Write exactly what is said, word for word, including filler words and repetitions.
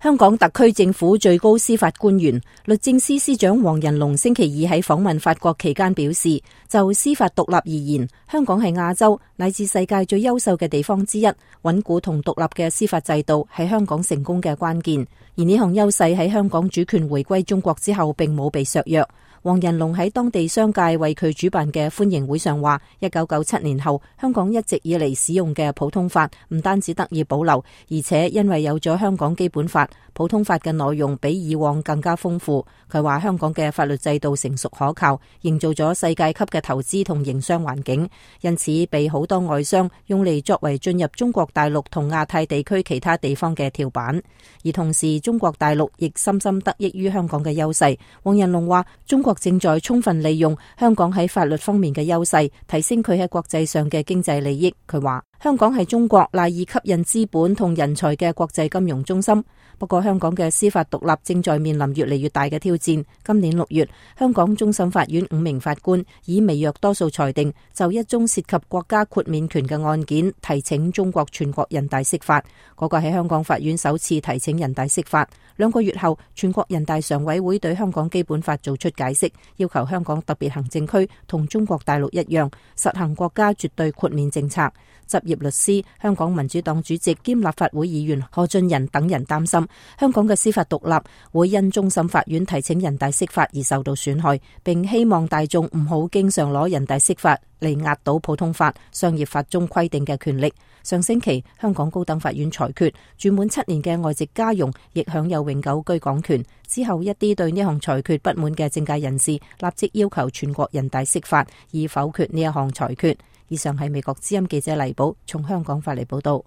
香港特區政府最高司法官員、律政司司長黃仁龍星期二喺訪問法國期間表示，就司法獨立而言，香港係亞洲乃至世界最優秀嘅地方之一，穩固同獨立嘅司法制度係香港成功嘅關鍵。而呢項優勢喺香港主權回歸中國之後並冇被削弱。黃仁龍喺當地商界為佢主辦嘅歡迎會上話，一九九七年後，香港一直以嚟使用嘅普通法唔單止得以保留，而且因為有咗香港基本法，普通法嘅內容比以往更加豐富。佢話香港嘅法律制度成熟可靠，營造咗世界級嘅投資同營商環境，因此被好多外商用嚟作為進入中國大陸同亞太地區其他地方嘅跳板。而同時，中國大陸亦深深得益於香港嘅優勢。黃仁龍話，中國正在充分利用香港喺法律方面嘅優勢，提升佢喺國際上嘅經濟利益。佢話，香港係中國賴以吸引資本同人才嘅國際金融中心。不過香港嘅司法獨立正在面臨越嚟越大嘅挑戰。今年六月，香港終審法院五名法官以微弱多數裁定，就一宗涉及國家豁免權嘅案件提請中國全國人大釋法。嗰個係香港法院首次提請人大釋法。兩個月後，全國人大常委會對香港基本法做出解釋，要求香港特別行政區同中國大陸一樣，實行國家絕對豁免政策。執業律師、香港民主黨主席兼立法會議員何俊仁等人擔心，香港嘅司法獨立會因終審法院提請人大釋法而受到損害，並希望大眾唔好經常攞人大釋法嚟壓倒普通法、商業法中規定嘅權力。上星期，香港高等法院裁決，住滿七年嘅外籍家傭亦享有永久居港權。之後，一啲對呢項裁決不滿嘅政界人士立即要求全國人大釋法，以否決呢一項裁決。以上係美國之音記者黎寶從香港發嚟報道。